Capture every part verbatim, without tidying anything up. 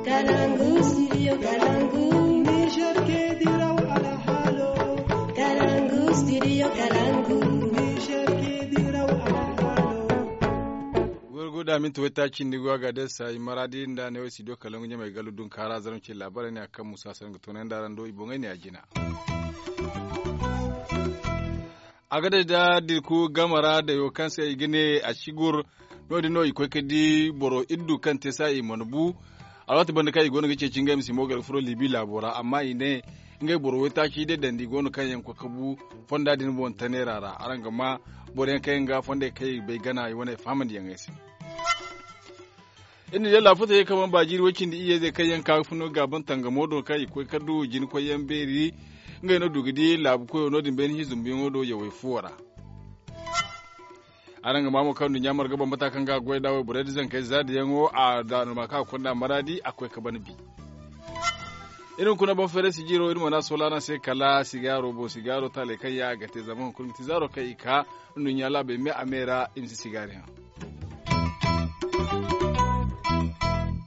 Kalangu studio kalangu. Niger ke diraw alhalo. Kalangu studio kalangu. Niger ke diraw alhalo. Gorgo da minti wayta cindi go a ga day sayi maradi nda ne wo studio kalangu ɲamay galu dun kara zaram ce labarai ne a kan musa san ga tonay nda rando i boŋay ne a jina. A ga day da dirku gamara da yo kaŋ se i ga ne a sigur. No- din no i koy ka di boro iddu kaŋ te sa i mana bu. Alwaati banda kaŋ i go no ga ceeci ngey ma si mo ga furo libi laabo ra amma i ne ngey boro waytaaci day dandi go no kaŋ yaŋ koy ka bu fonda din boŋ tanera ra araŋ ga ma boro yaŋ kaŋ yaŋ ga fondey kaŋ i bay gana i wane fahamandi yaŋey se. Iri na day laafutey kaŋ mana ba jiiri way cindi iyye zey kaŋ yaŋ ka ga fun no ga ban tangamo do kaŋ i koy ka du jina koy yaŋ beeri. Ngey no du ga di laabu koyo no- din bayni hizumbuyaŋo do yawey fuwo ra. Araŋ ga ma mo kaŋ nduɲɲa marga bambata kaŋ ga a goy nd'a wayborey nda zankey zaadiyaŋo a daanuma kaŋ a konda maraadi a koy ka ban bi. Iri hunkuna boŋ feeray sijiiro iri mana soola araŋ se kala sigaaro boŋ sigaaro taaley kaŋ yaŋ a ga te zama hunkuna ga ti zaaro kaŋ i ka nduɲɲa laabey me a me ra i ma si sigaari haŋ.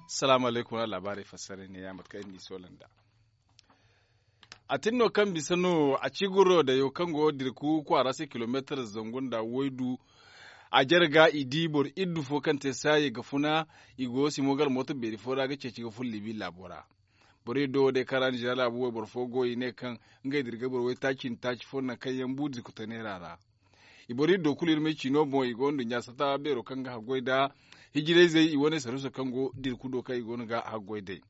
Salaamu alaykum wala laabaarey fassaray ne ya mate kaŋ iri n'i soola nd'a. A tin no kaŋ bisa no a ci gurro dayo kaŋ go dirku kwaara se kilomeetar zangu nda waydu. A jare ga i di boro iddu fo kaŋ te saayi ga funa i go simo gala mooto beeri fo ra ga ceeci ga fun libi laabo ra. Boro iddo wo day kaŋ ra nizeeriya laabu wayboro fo go i ne kaŋ ngey dira ga boro waytaaci nda taaci fo nangu kaŋ yaŋ bu dirku taneera ra. I boro iddo kulu iri ma ay ci no boŋ i go nduɲɲa sata beero kaŋ ga haggoy nda hijirayzey i wane saruuso kaŋ go dirku do kaŋ i go no ga haggoy day.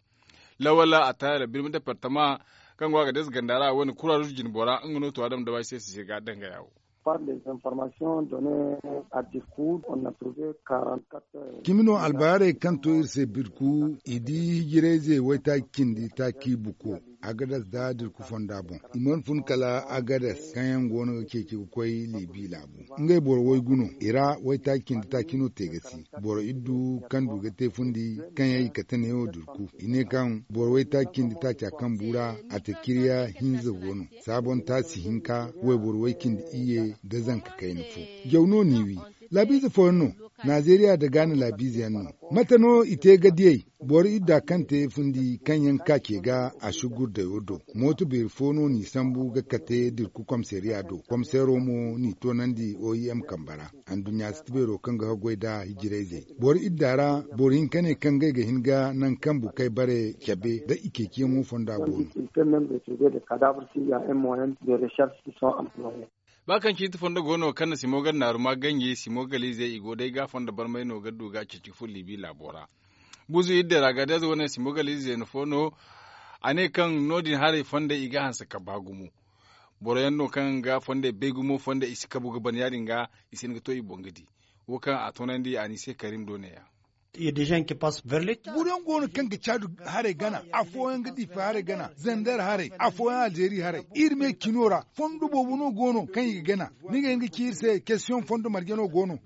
Lawal a taayala birma departama kaŋ go a ga deesa ganda ra a wane kuraaruz jinbora nga no to a dama dabay se si se ga dangaya wo. Par les informations données à dirku on a trouvé quarante quatre. Cimi no albaarey kaŋ to iri se birku i di hijirayze waytaaci cindi taaci buko agadas da dirku fonda boŋ. I mana fun kala agadas kaŋ yaŋ go no ga ceeci ga koy libi laabu. Ngey boro waygu no i ra waytaaci cindi taaci no te ga si. Boro iddu kaŋ du ga te fundi kaŋ yaŋ i kate neewo durku i ne kaŋ boro waytaaci cindi taaca kaŋ bu ra a te cirya hinza go no. Saabon taasi hinka wayboro way cindi iyye nda zanka kayna fo. Jaw no n'i wi. Laabiize fooyaŋ no. Nazeeriya nda gaana laabiize yaŋ no. Mate no i te ga diyey? Boro idda kaŋ te fundi kaŋ yaŋ ka ce ga a si gurdayo do. Mooto beeri fo no n'i sambu ga kate dirku komiseeriya do komiseero mo n'i toonandi o i m kambe ra. Anduɲɲa siti beero kaŋ ga haggoy nda hijirayzey boro idda ra. Boro hinka ne kaŋ ngey ga hin ga naŋ kaŋ bukey bare cabe nda i ceeciyaŋo fonda go no. Ba kaŋ ciiti fondo go no kaŋ na simo ga naaru ma ganji simo galiizey i go day ga fondo barmay no ga du ga ceeci ga fun liibi laabo ra. Buzu idde ra ga day a za wane simo galiizey no fo no. A ne kaŋ no- din haray fondey i ga hanse ka ba gumo. Boro yaŋ no kaŋ ga fondey bay gumo fondey i si kabu ga ban ya- din ga i si hin ga to i boŋ ga di. Wo kaŋ a toonandi a n'i se karim do ne- ya. Boro yaŋ go no kaŋ ga caadu haray gana, afooyaŋ ga diifa haray gana, zandar haray, afooyaŋ alzeeri haray. Iri me cino ra fondo boobo no go no kaŋ i ga gana. Ni ga hin ga ci iri se kestiyoŋ fondo marje no go no.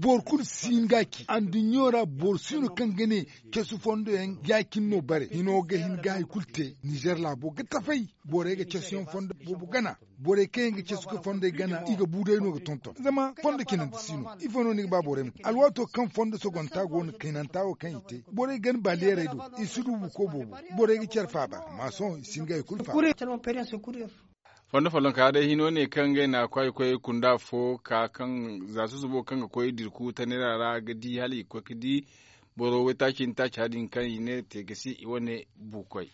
Boro kulu si hin ga a ci anduɲɲo ra boro si no kaŋ ga ne, casu fondo yaŋ ya- cine no bare hino ga hin ga hari kulu te nizer laabo ga tafay. Borey ga casu yaŋ fondo boobo gana. Borey kaŋ yaŋ ga casu ga fondey gana i ga bu day no ga tonton zama fondo cinandi si no. Ifo no ni ga ba borey ma te alwaato kaŋ fondo sogonta go no kaynanta wo kaŋ i te borey gana baliyeerey do. I si du buko boobo. Borey ga care faaba amma sohõ i si hin ga hari kulu faaba. Fondo follonka day hino ne kaŋ ngey na kwaay koy kunda fo ka kaŋ za susubo kaŋ ga koy dirku tanera ra ga di hala i ga koy ga di. Boro waytaaci nda taaca din kaŋ i ne te ga si i wane buukoy.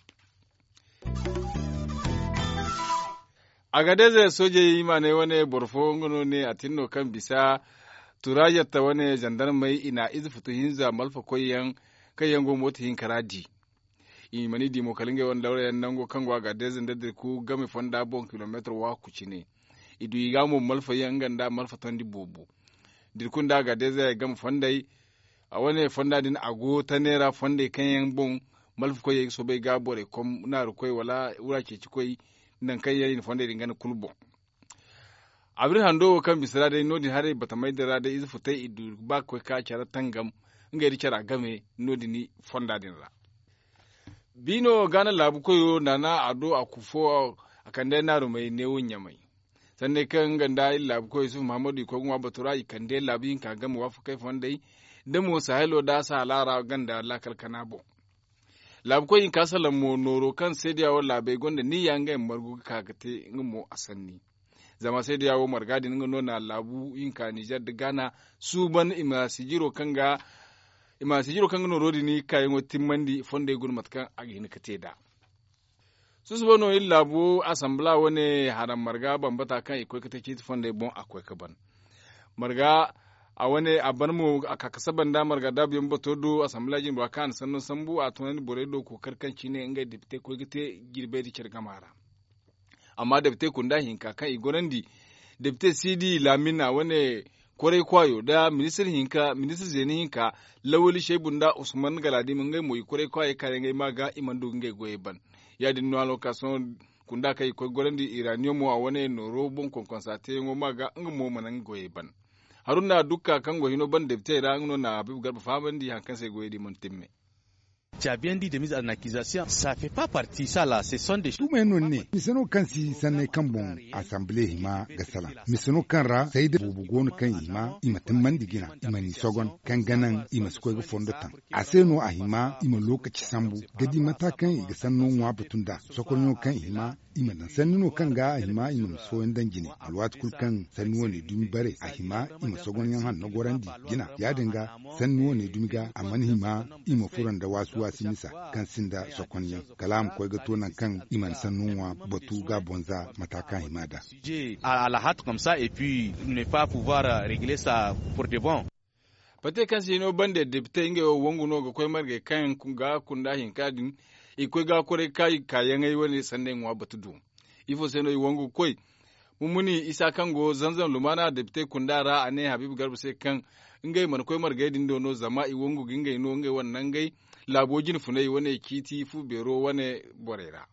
Agadez soojey i ma ne wane boro fo nga no ne a tin no kaŋ bisa turaazetta wane zandarmey i na ize futu hinza malfa koyyaŋ kaŋ yaŋ go mooto hinka ra di. I mana i di mo kala ngey wane lawra yaŋ nango kaŋ go a ga deeza nda dirku game fonda boŋ kilomeetar waaku cine. I du i ga mo malfa yaŋ nga nda malfa tondi boobo. Dirku nda a ga deeza game fondey a wane fonda din a go tane ra fondey kaŋ yaŋ boŋ. Malfa koyey ga soobay ga borey kom naaru koy wala wura ceeci koy. Nangu kaŋ yaŋ i na fondey din gana kulu boŋ. Abri hando wo kaŋ bisa ra day no- din haray batamey din ra day ize futay i du ba ga koy ka care tangam. Ngey nda cara game no- din fonda din ra. Biino gaana laabu koyo naana a do a ku fo a kande naarumey neewo ɲamay. Sanney kaŋ nga nda iri laabu koyo yusuf muhammadu i koy ga ŋwa batu ra i kande laabu hinka game waafakey fondey. Da mo sahelo da sahala ra ganda laakal kana boŋ. Laabu koy hinka salaŋ mo nooro kaŋ seedeya wo laabey gonda niyya ngey ma margu ga ka ga te nga mo a sanni. Zama seedeya wo marga din nga no na laabu hinka nizer nda gaana suuban i ma sijiro kaŋ ga nooro din kaayaŋo timmandi fondey guna mate kaŋ a ga hin ga te nd'a. Susubo no iri laabu asanbila wane haram marga bambata kaŋ i koy ga te ciiti fondey boŋ a koy ga ban. Marga a wane a ban mo a ka ga saba nda marga daabu yaŋ bato do asanbila jinbora kaŋ a na sanno sambu a toonandi borey do kookari kaŋ cine ngey depite koy ga te jirbey nda care gama ra. Amma depite kunda hinka kaŋ i gorandi depite siidi laamina wane koray kwaayo nda ministir zeeni hinka lawali shaybu nda usman galaadima ngey mo i koray kwaayey kaayaŋey ma ga i mana du ga ngey goyey ban. Ya- din no alwakaaso kunda kaŋ i koy gorandi iraniyomo a wane nooro boŋ konkonsa teeyaŋo ma ga nga mo mana nga goyey ban. Haruna dukka kaŋ go hino ban depitey ra nga no na habiibu garba fahamandi hari kaŋ se goyey din mana timme. Caabiyaŋ di de mise en akizasiyoŋ. Saafe pa parti sala se sonde. Tuumayaŋ no ni ne mise no kaŋ si sanney kaŋ boŋ asanbile hima ga salaŋ. Mise no kaŋ ra sayda boobo go no kaŋ i hima i ma timmandi jina i ma ni sogon kaŋ ga naŋ i ma si koy ga fondo taŋ. A se no a hima i ma lookaci sambu ga di mata kaŋ i ga sanno ŋwa batu nd'a sokorɲo kaŋ i hima i ma daŋ sanni no kaŋ ga a hima i ma misa fooyaŋ daŋ jine. Alwaati kulu kaŋ sanni wane dumi bare a hima i ma sogonyaŋ hanno gorandi jina ya- din ga sanni wane dumi ga a mana hima i ma furo nda waasi waasi misa kaŋ sinda sokonyaŋ kala a ma koy ga to nangu kaŋ i mana sanno ŋwa batu ga bonza mata kaŋ a hima da. Alhaat comme ça et puis ne pas pouvoir régler ça pour de bon. Pate kaŋ se i no bande depite ngey wo wangu no ga koy margey kaŋ ga kunda hinka din i ga koy ga koray kaayaŋey wane sanday ŋwa batu do. Ifo se no i wangu ga koy? Mummuni isa kaŋ go zanzam lumaana depite kunda ra a ne habiibu garba se kaŋ ngey mana koy margey din do no zama i wangu ga ngey no ngey wane nangey laabo jine funay wane ciiti fu beero wane borey ra.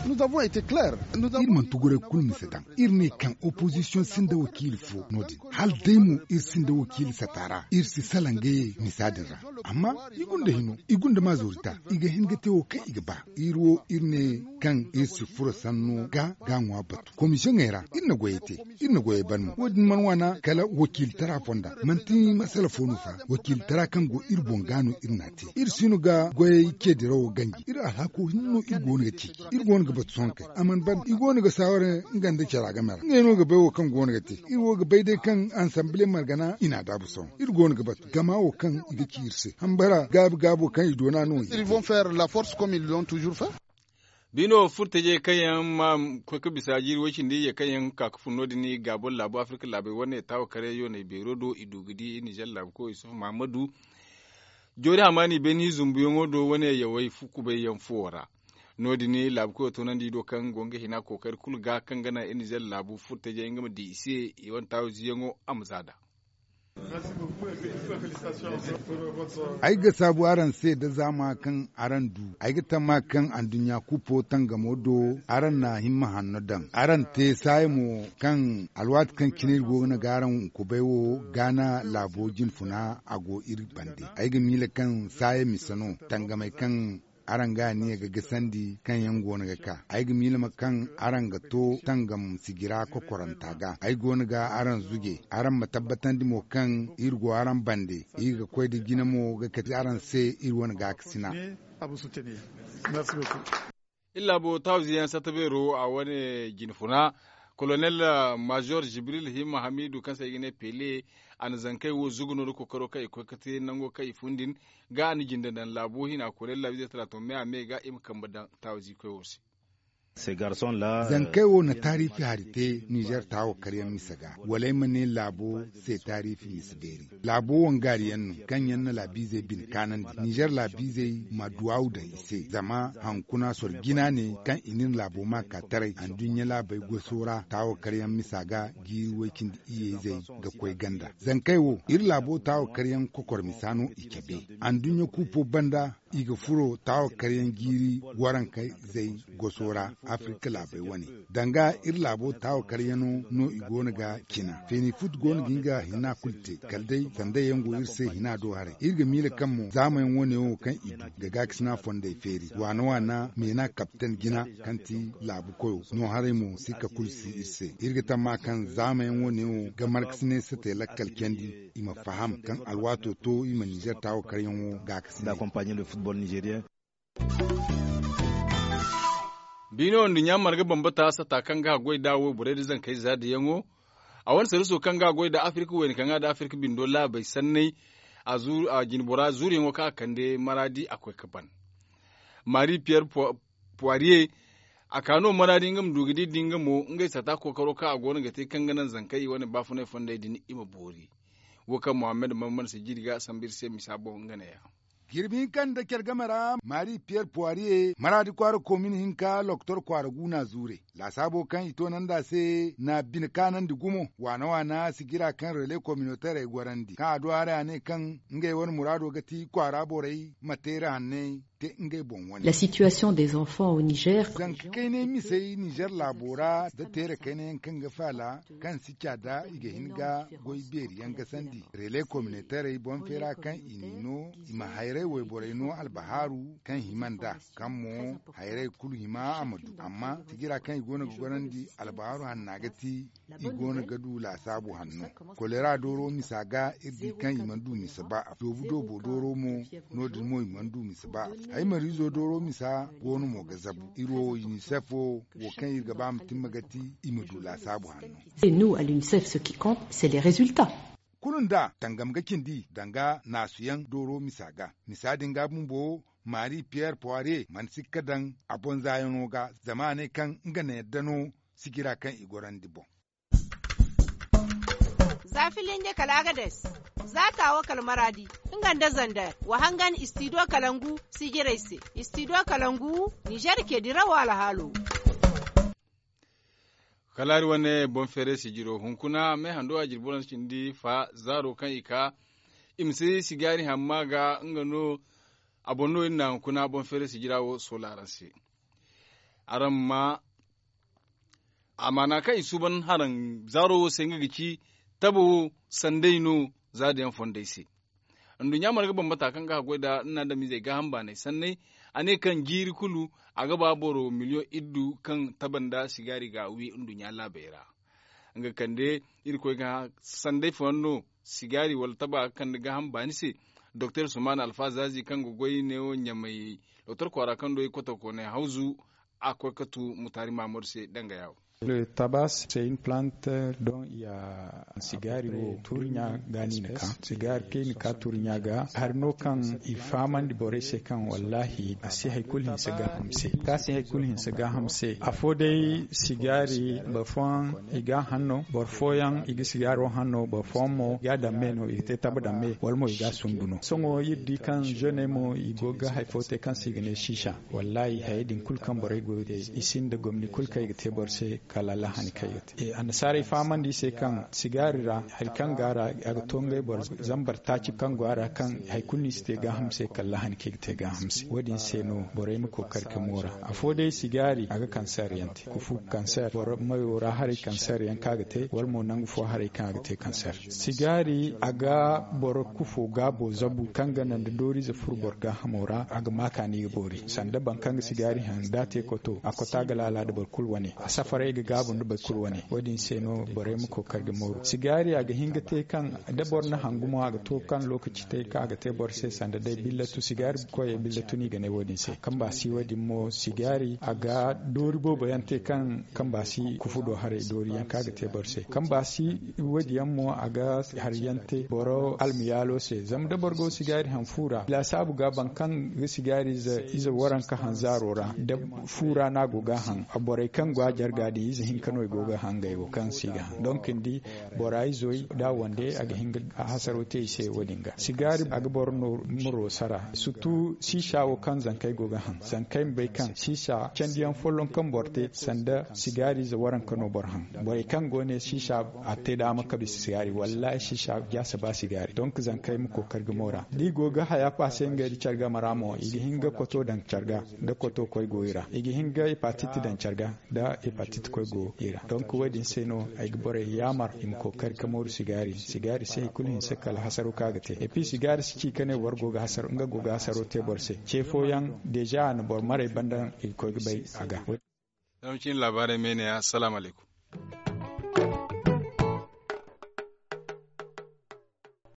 Iri mana tuguray kulu mise daŋ iri ne kaŋ opozisiyoŋ sinda wakiili fo no- din hala day mo iri sinda wakiili sata ra iri si salaŋ ga ye misa din ra. Amma i gunda hino i gunda maazorita i ga hin ga te wo kaŋ i ga ba iri wo iri ne kaŋ iri si furo sanno ga ga ŋwa batu komisiyoŋey ra iri na goyey te. Iri na goyey ban mo wo- din mana waana kala wakiilitara fonda manti masala fo no fa wakiilitara kaŋ go iri boŋ ga no iri n'a te iri si no ga goyey ce dirawo ganji iri alhaako hinne no iri go no ga ceeci iri go no ga batu sohõ kay a mana ban i go no ga saaware nga nda cara game ra ngey no ga bay wo kaŋ go no ga te iri wo ga bay day kaŋ ansanbile margana i n'a daabu sohõ iri go no ga batu gama wo kaŋ i ga ci iri se hambara gaabi gaabo kaŋ i doona no i ga te. Biino furtajey kaŋ yaŋ ma koy ga bisa jiiri way cindi iyye kaŋ yaŋ ga ka ga fun no- din i ga boro laabu afirka laabey wane taawa karyaŋ yooney beero do i du ga di ninzeer laabu koy isufu mahammadu joori hamaani beeni zumbuyaŋo do wane yawey kubayyaŋ fuwo ra. No- din laabu koyo toonandi do kaŋ go nga hina kookari kulu ga kaŋ ga naŋ ninzeer laabu furtajey nga ma di i se i wane taawa ziyaŋo a ma za nd'a. Ay ga saabu araŋ se da zaama kaŋ araŋ du ay ga tamma kaŋ anduɲɲa kupo tangamo do araŋ na himma hanno daŋ araŋ te saaya mo kaŋ alwaati kaŋ cine iri go ga naŋ ga araŋ kubay wo gaana laabo jinfuna a go iri bande ay ga miila kaŋ saaya mise no tangamey kaŋ araŋ ga aniya ga gasandi kaŋ yaŋ go no ga ka ay ga miila ma kaŋ araŋ ga to tangam sijira kokoranta ga ay go no ga araŋ zuje araŋ ma tabbatandi mo kaŋ iri go araŋ bande iri ga koy nda jina mo ga kati araŋ se iri wane gaakasina. Iri laabo taawizi yaŋ satta beero a wane jinfuna kolonel maazor jibril hima hamiidu kaŋ se ay ga ne pele a na zankey wo zugu no nda kookaro kaŋ i koy ga te nango kaŋ i fun din ga a na jinde daŋ laabo hina kolonel laabize talaatun me a me ga i ma kambe daŋ taawizi koy wo se. Zankey wo na taariifi hari te ninzeer taawo karyaŋ mise ga wala ay ma ne laabo se taariifi mise beeri. Laabo wangaari yaŋ no kaŋ yaŋ na laabiizey bine kaanandi ninzeer laabiizey ma duwaawu daŋ i se zama hankuna soro jina ne kaŋ i na iri laabo ma ka taray anduɲɲa laabey goso ra taawo karyaŋ misa ga jiiri way-cindi iyye-izey ga koy ganda zankey wo iri laabo taawo karyaŋ kokor misa no i cabe anduɲɲa kuupo banda i ga furo taawo karyaŋ jiiri warankey zey goso ra afirka laabey wane danga iri laabo taawo karyaŋo no i go no ga cina feeni fut go no ga nga hina kulu te kala day sanda yaŋ go iri se hina do haray iri ga miila kaŋ mo zaamayaŋ wane wo kaŋ i du ga gaakasina fondey feeri waana waana meena kapten jina kaŋ ti laabu koyo no haray mo sikka kulu si iri se iri ga tamma kaŋ zaamayaŋ wane wo ga markasinay sate lakkal candi i ma faham kaŋ alwaato to i ma ninzeer taawo karyaŋo gaakasina. Biino nduɲɲa marga bambata sata kaŋ ga a goy nd'a wayborey nda zankey zaadiyaŋo. A wane sarriso kaŋ ga a goy nd'a afirka wayne kaŋ ga a da afirka bindo laabey sanney. A jinbora zuuriyaŋo kaŋ a kande maraadi a koy ga ban. Maari piyer puwariye a ka no maraadi nga ma du ga di da nga mo ngey sata kookaro kaŋ a go no ga te kaŋ ga naŋ zankey i wane baafunay fondey din i ma boori. Wo kaŋ mohammed mammad si jiri ga a sambu iri se misa boŋ nga neeya. Jirbi hinka nda care game ra maari piyer puwariye maraadi kwaara komin hinka loktor kwaara guuna zuure laasaabo kaŋ i toonandi a se na bine kaanandi gumo waana waana sijira kaŋ rele kominoterey gorandi kaŋ a du haray a ne kaŋ ngey wane muraado ga ti kwaara borey ma teeri hanney te ngey boŋ wane. La situation des enfants au niger. Zanka kaynay misey nizer laabo ra nda teere kaynayaŋ kaŋ ga faala kaŋ si ca da i ga hin ga goy beeri yaŋ gasandi rele kominoterey boŋ feera kaŋ i n'i no i ma hayray wayborey no albahaaru kaŋ hima nd'a kaŋ mo hayray kulu hima a ma du amma sijira kaŋ i go no ga gorandi albahaaru hanna ga ti i go no ga du laasaabu hanno. Kolera dooro misa ga iri di kaŋ i mana du misa ba a doobu doobo dooro mo no- din mo i mana du misa ba a hay mariizo dooro misa go no mo ga zabu iri wo unicef wo wo kaŋ iri ga ba ma timma ga ti i ma du laasaabu hanno. Kulu nda tangam ga cindi danga naasu yaŋ dooro misa ga misa din ga bumbo maari piyer puwariye mana sikka daŋ a boŋ zaayaŋo ga zama a ne kaŋ nga na yadda no sijira kaŋ i gorandi boŋ. Za filinje kala agades, za taawo kala maraadi, nga nda zander wa hangan istidiyo kalangu sijirey se. Istidiyo kalangu nizer ke dirawo alhaalo. Kala hari wane boŋ feeray sijiro hunkuna meehando a jirbi waransa cindi fa zaaro kaŋ i ka i ma si sigaari hamma ga nga no. A boŋ no iri na hunkuna boŋ feeray sijira wo soola araŋ se. Araŋ ma amaana kaŋ i suuban haraŋ zaaro wo se nga ga ci tabo wo sanday no. Za da yaŋ fondey se nduɲɲa marga bambata kaŋ ga haggoy nda nna adamizey gaaham baanay sanney. A ne kaŋ jiiri kulu a ga ba boro miliyoŋ iddu kaŋ taba nda sigaari ga a wi nduɲɲa laabey ra. Nga kande irkoy ga sanday fooyaŋ no sigaari wala taba ga kande gaaham baani se. Doktor sumaana alfaazazi kaŋ ga goy neewo ɲamay doktor kwaara kaŋ do i kotokoonay hawzu a koy ga tu mutaari maamadu se danga yaawo. Tabas se in plant don ya sigaari wo tuuri ɲa ga no i na ka sigaari kaŋ i na ka tuuri ɲa ga hari no kaŋ i fahamandi borey se kaŋ wallahi a si hari kulu hinse gaaham se kaŋ a si hari kulu hinse gaaham se afo day sigaari boro fooyaŋ i ga a haŋ no boro fooyaŋ i ga sigaaro haŋ no boro fooyaŋ mo i ga a daŋ me no i ga te taba daŋ me wala mo i ga a sundu no sohõ iri di kaŋ zeney mo i go ga hari fo te kaŋ se i ga ne siisa. Wallahi hayey din kulu kaŋ borey go ga te i sinda gomni kulu kaŋ i ga te boro se kala allahani kaŋ i ga te annasaarey fahamandi i se kaŋ sigaari ra hari kaŋ go a ra a ga to ngey boro zambar taaci kaŋ go a ra kaŋ hari kulu no i si te gaaham se kala allahani kaŋ i ga te gaaham se wo- din se no borey ma kookari ga moora afo day sigaari a ga kanseer yaŋ te kufu kanseer boro mayo ra haray kanseer yaŋ kaŋ a ga te wala mo nangu fo haray kaŋ a ga te kanseer. Sigaari a ga boro kufo gaabo zabu kaŋ ga naŋ da dooriize furo boro gaahamo ra a ga ma kaani ga boori sanda boro kaŋ ga sigaari haŋ da a te koto a koto a ga laala nda boro kulu wane a safaray ga gaabu nda boro kulu wane wo- din se no borey ma kookari ga mooru sigaari a ga hin ga te kaŋ da boro na haŋ gumo a ga to kaŋ lookaci te kaŋ a ga te boro se sanda day billatu sigaari koyey billatu no i ga ne wo- din se kaŋ ba si wo- din mo sigaari a ga doori boobo yaŋ te kaŋ kaŋ ba si kufu do haray doori yaŋ kaŋ a ga te boro se kaŋ ba si wo- din yaŋ mo a ga hari yaŋ te boro almiyaalo se zama da boro go sigaari haŋ fu ra laasaabu ga boro kaŋ ga sigaari ize waranka haŋ zaaro ra da fu ra no a go ga a haŋ borey kaŋ go a jarga din ize hinka no i go ga a haŋ ngey wo kaŋ si ga haŋ donk ni di bora izo da a wande a ga hin ga hasaro te i se wo- din ga sigaari a ga boro no muro sara surtu siisa wo kaŋ zankey go ga haŋ zankey ma bay kaŋ siisa candiyaŋ folloŋ kaŋ boro te sanda sigaari ize waranka no boro haŋ borey kaŋ go ne siisa a te daama ka bisa sigaari wallaahi siisa jaasa ba sigaari donk zankey ma kookari ga moora da i go ga haya paase ngey nda care game ra mo i ga hin ga koto daŋ care ga da koto koy go i ra i ga hin ga hepatit daŋ care ga da hepatit koy go i ra donk wo- din se no ay ga borey yaamar i ma kookari ka mooru sigaari sigaari si hari kulu hinse kala hasaro kaŋ a ga te epi sigaari si ci ka ne boro go ga hasaro nga go ga hasaro te boro se ce fooyaŋ deeza a na boro marey banda i ga koy ga bay a ga. Zama cine laabaarey me ne ya salaamu alaykum.